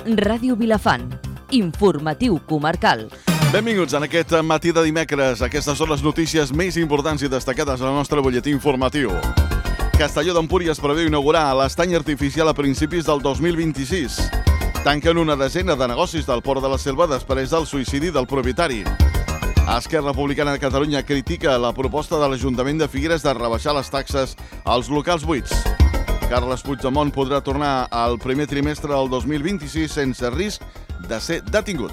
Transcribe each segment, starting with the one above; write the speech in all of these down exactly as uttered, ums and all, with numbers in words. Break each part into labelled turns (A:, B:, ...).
A: Ràdio Vilafant, informatiu comarcal.
B: Benvinguts en aquest matí de dimecres. Aquestes són les notícies més importants i destacades del nostre butlletí informatiu. Castelló d'Empúries preveu inaugurar l'estany artificial a principis del dos mil vint-i-sis. Tanquen una desena de negocis del Port de la Selva després del suïcidi del propietari. Esquerra Republicana de Catalunya critica la proposta de l'Ajuntament de Figueres de rebaixar les taxes als locals buits. Carles Puigdemont podrà tornar al primer trimestre del dos mil vint-i-sis sense risc de ser detingut.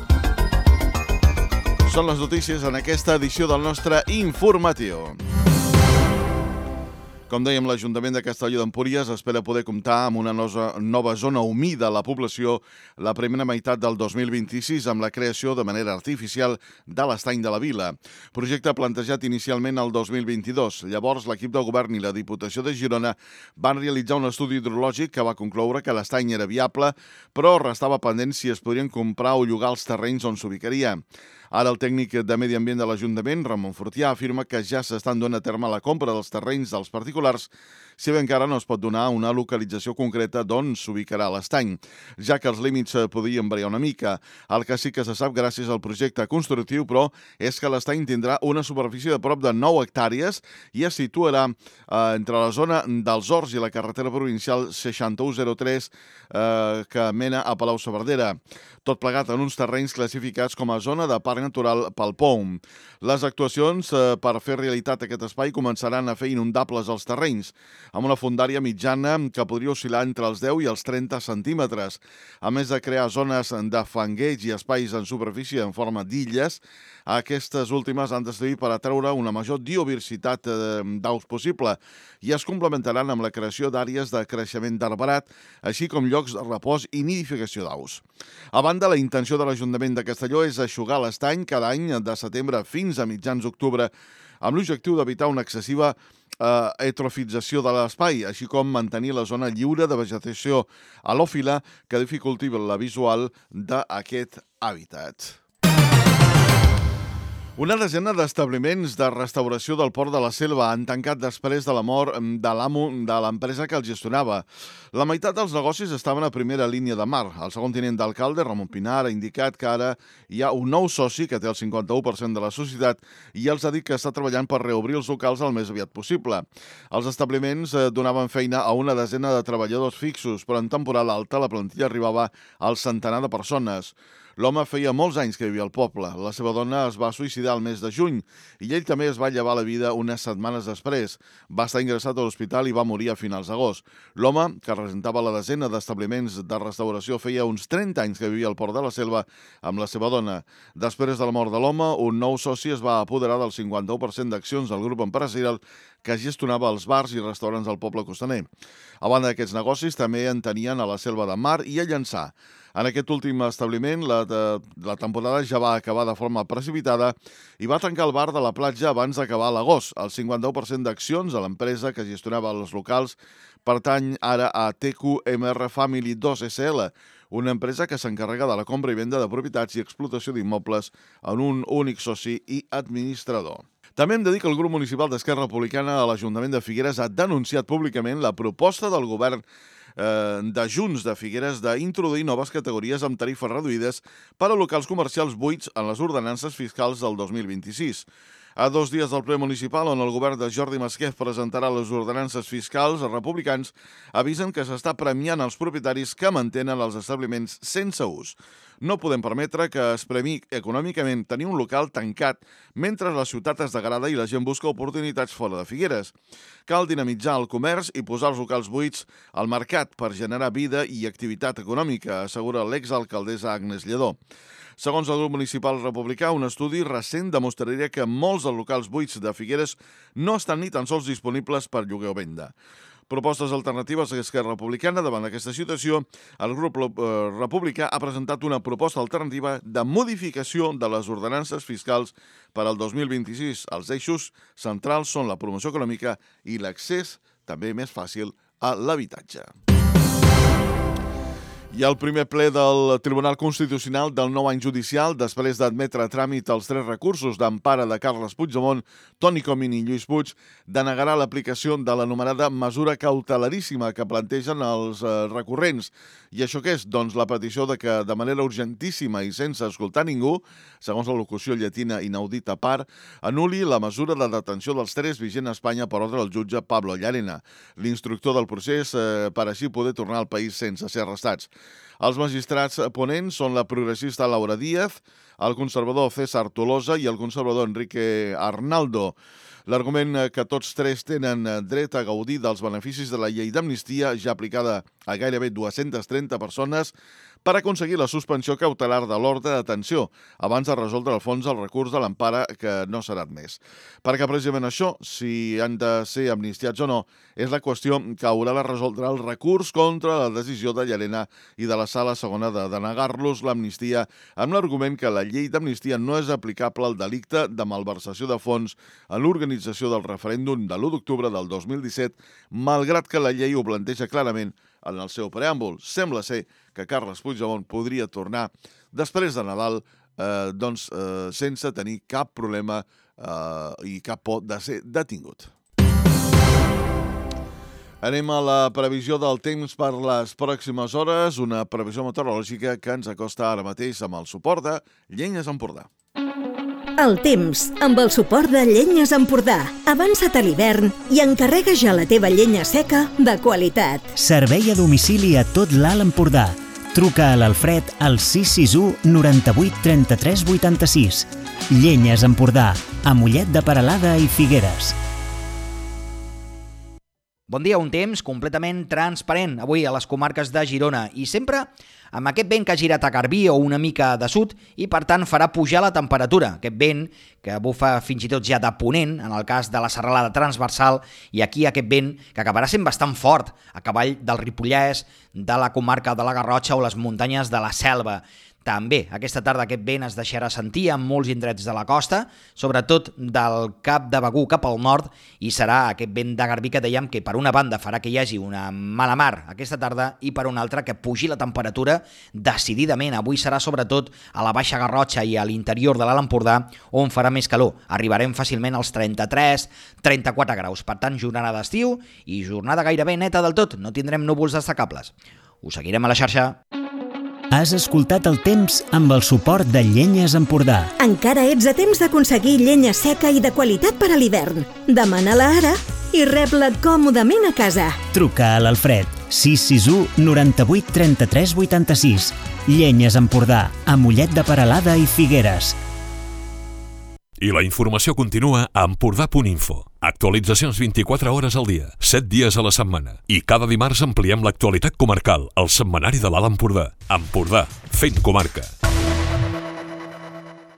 B: Són les notícies en aquesta edició del nostre informatiu. Com dèiem, l'Ajuntament de Castelló d'Empúries espera poder comptar amb una nova zona humida a la població la primera meitat del dos mil vint-i-sis amb la creació de manera artificial de l'estany de la vila. Projecte plantejat inicialment el dos mil vint-i-dos. Llavors, l'equip de govern i la Diputació de Girona van realitzar un estudi hidrològic que va concloure que l'estany era viable, però restava pendent si es podrien comprar o llogar els terrenys on s'ubicaria. Ara el tècnic de Medi Ambient de l'Ajuntament, Ramon Fortià, afirma que ja s'estan donant a terme la compra dels terrenys dels particulars, si bé encara no es pot donar una localització concreta d'on s'ubicarà l'estany, ja que els límits podrien variar una mica. El que sí que se sap gràcies al projecte constructiu, però, és que l'estany tindrà una superfície de prop de nou hectàrees i es situarà eh, entre la zona dels Horts i la carretera provincial seixanta-u zero tres eh, que mena a Palau-saverdera. Tot plegat en uns terrenys classificats com a zona de parc natural pel P O M. Les actuacions eh, per fer realitat aquest espai començaran a fer inundables els terrenys, amb una fondària mitjana que podria oscil·lar entre els deu i els trenta centímetres. A més de crear zones de fangueig i espais en superfície en forma d'illes, aquestes últimes han de servir per atreure una major biodiversitat d'aus possible i es complementaran amb la creació d'àrees de creixement d'arbrat, així com llocs de repòs i nidificació d'aus. A banda, la intenció de l'Ajuntament de Castelló és eixugar l'estany cada any de setembre fins a mitjans d'octubre, amb l'objectiu d'evitar una excessiva eh, eutrofització de l'espai, així com mantenir la zona lliure de vegetació halòfila que dificulti la visual d'aquest hàbitat. Una desena d'establiments de restauració del Port de la Selva han tancat després de la mort de l'amo de l'empresa que els gestionava. La meitat dels negocis estaven a primera línia de mar. El segon tinent d'alcalde, Ramon Pinar, ha indicat que ara hi ha un nou soci que té el cinquanta-u per cent de la societat i els ha dit que està treballant per reobrir els locals el més aviat possible. Els establiments donaven feina a una desena de treballadors fixos, però en temporada alta la plantilla arribava al centenar de persones. L'home feia molts anys que vivia al poble. La seva dona es va suïcidar el mes de juny i ell també es va llevar la vida unes setmanes després. Va estar ingressat a l'hospital i va morir a finals d'agost. L'home, que representava la desena d'establiments de restauració, feia uns trenta anys que vivia al Port de la Selva amb la seva dona. Després de la mort de l'home, un nou soci es va apoderar del cinquanta-u per cent d'accions del grup empresarial que gestionava els bars i restaurants del poble costaner. A banda d'aquests negocis, també en tenien a la Selva de Mar i a Llançà. En aquest últim establiment, la, de, la temporada ja va acabar de forma precipitada i va tancar el bar de la platja abans d'acabar l'agost. El cinquanta-u per cent d'accions de l'empresa que gestionava els locals pertany ara a T Q M R Family dos S L, una empresa que s'encarrega de la compra i venda de propietats i explotació d'immobles en un únic soci i administrador. També hem de dir que el grup municipal d'Esquerra Republicana a l'Ajuntament de Figueres ha denunciat públicament la proposta del govern eh, de Junts de Figueres d'introduir noves categories amb tarifes reduïdes per a locals comercials buits en les ordenances fiscals del dos mil vint-i-sis. A dos dies del ple municipal, on el govern de Jordi Masquef presentarà les ordenances fiscals, els republicans avisen que s'està premiant els propietaris que mantenen els establiments sense ús. No podem permetre que es premi econòmicament tenir un local tancat mentre la ciutat es degrada i la gent busca oportunitats fora de Figueres. Cal dinamitzar el comerç i posar els locals buits al mercat per generar vida i activitat econòmica, assegura l'exalcaldessa Agnès Lledó. Segons el grup municipal republicà, un estudi recent demostraria que molts dels locals buits de Figueres no estan ni tan sols disponibles per lloguer o venda. Propostes alternatives a l'Esquerra Republicana. Davant d'aquesta situació, el grup republicà ha presentat una proposta alternativa de modificació de les ordenances fiscals per al dos mil vint-i-sis. Els eixos centrals són la promoció econòmica i l'accés també més fàcil a l'habitatge. I el primer ple del Tribunal Constitucional del nou any judicial, després d'admetre a tràmit els tres recursos d'empara de Carles Puigdemont, Toni Comín i Lluís Puig, denegarà l'aplicació de l'anomenada mesura cautelaríssima que plantegen els eh, recurrents. I això què és? Doncs la petició de que, de manera urgentíssima i sense escoltar ningú, segons la locució llatina inaudita part, anul·li la mesura de detenció dels tres vigent a Espanya per ordre del jutge Pablo Llarena, l'instructor del procés, eh, per així poder tornar al país sense ser arrestats. Els magistrats ponents són la progressista Laura Díaz, el conservador César Tolosa i el conservador Enrique Arnaldo. L'argument que tots tres tenen dret a gaudir dels beneficis de la llei d'amnistia, ja aplicada a gairebé dues-centes trenta persones, per aconseguir la suspensió cautelar de l'ordre de detenció, abans de resoldre al fons el recurs de l'empara que no serà admès. Perquè precisament això, si han de ser amnistiats o no, és la qüestió que haurà de resoldre el recurs contra la decisió de Llarena i de la Sala Segona de denegar-los l'amnistia amb l'argument que la llei d'amnistia no és aplicable al delicte de malversació de fons en l'organització del referèndum de l'u d'octubre del dos mil disset, malgrat que la llei ho planteja clarament en el seu preàmbul. Sembla ser que Carles Puigdemont podria tornar després de Nadal eh, doncs, eh, sense tenir cap problema eh, i cap por de ser detingut. Anem a la previsió del temps per les pròximes hores, una previsió meteorològica que ens acosta ara mateix amb el suport de Llenyes Empordà.
C: El temps, amb el suport de Llenyes Empordà. Avança't a l'hivern i encarrega ja la teva llenya seca de qualitat.
D: Servei a domicili a tot l'Alt Empordà. Truca a l'Alfred al sis sis u noranta-vuit trenta-tres vuitanta-sis. Llenyes Empordà, a Mollet de Peralada i Figueres.
E: Bon dia, un temps completament transparent avui a les comarques de Girona i sempre amb aquest vent que ha girat a Garbí o una mica de sud i per tant farà pujar la temperatura. Aquest vent que bufa fins i tot ja de ponent en el cas de la serralada transversal i aquí aquest vent que acabarà sent bastant fort a cavall del Ripollès, de la comarca de la Garrotxa o les muntanyes de la Selva. També aquesta tarda aquest vent es deixarà sentir en molts indrets de la costa, sobretot del Cap de Begur cap al nord, i serà aquest vent de Garbí que dèiem que per una banda farà que hi hagi una mala mar aquesta tarda i per una altra que pugi la temperatura decididament. Avui serà sobretot a la Baixa Garrotxa i a l'interior de l'Alt Empordà on farà més calor. Arribarem fàcilment als trenta-tres trenta-quatre graus. Per tant, jornada d'estiu i jornada gairebé neta del tot. No tindrem núvols destacables. Us seguirem a la xarxa.
D: Has escoltat el temps amb el suport de Llenyes Empordà.
C: Encara ets a temps d'aconseguir llenya seca i de qualitat per a l'hivern. Demana-la ara i rep-la còmodament a casa.
D: Truca a l'Alfred sis sis u noranta-vuit trenta-tres vuitanta-sis. Llenyes Empordà, a Mollet de Peralada i Figueres.
F: I la informació continua a empordà punt info. Actualitzacions vint-i-quatre hores al dia, set dies a la setmana. I cada dimarts ampliem l'actualitat comarcal, al setmanari de l'Alt Empordà. Empordà, fent comarca.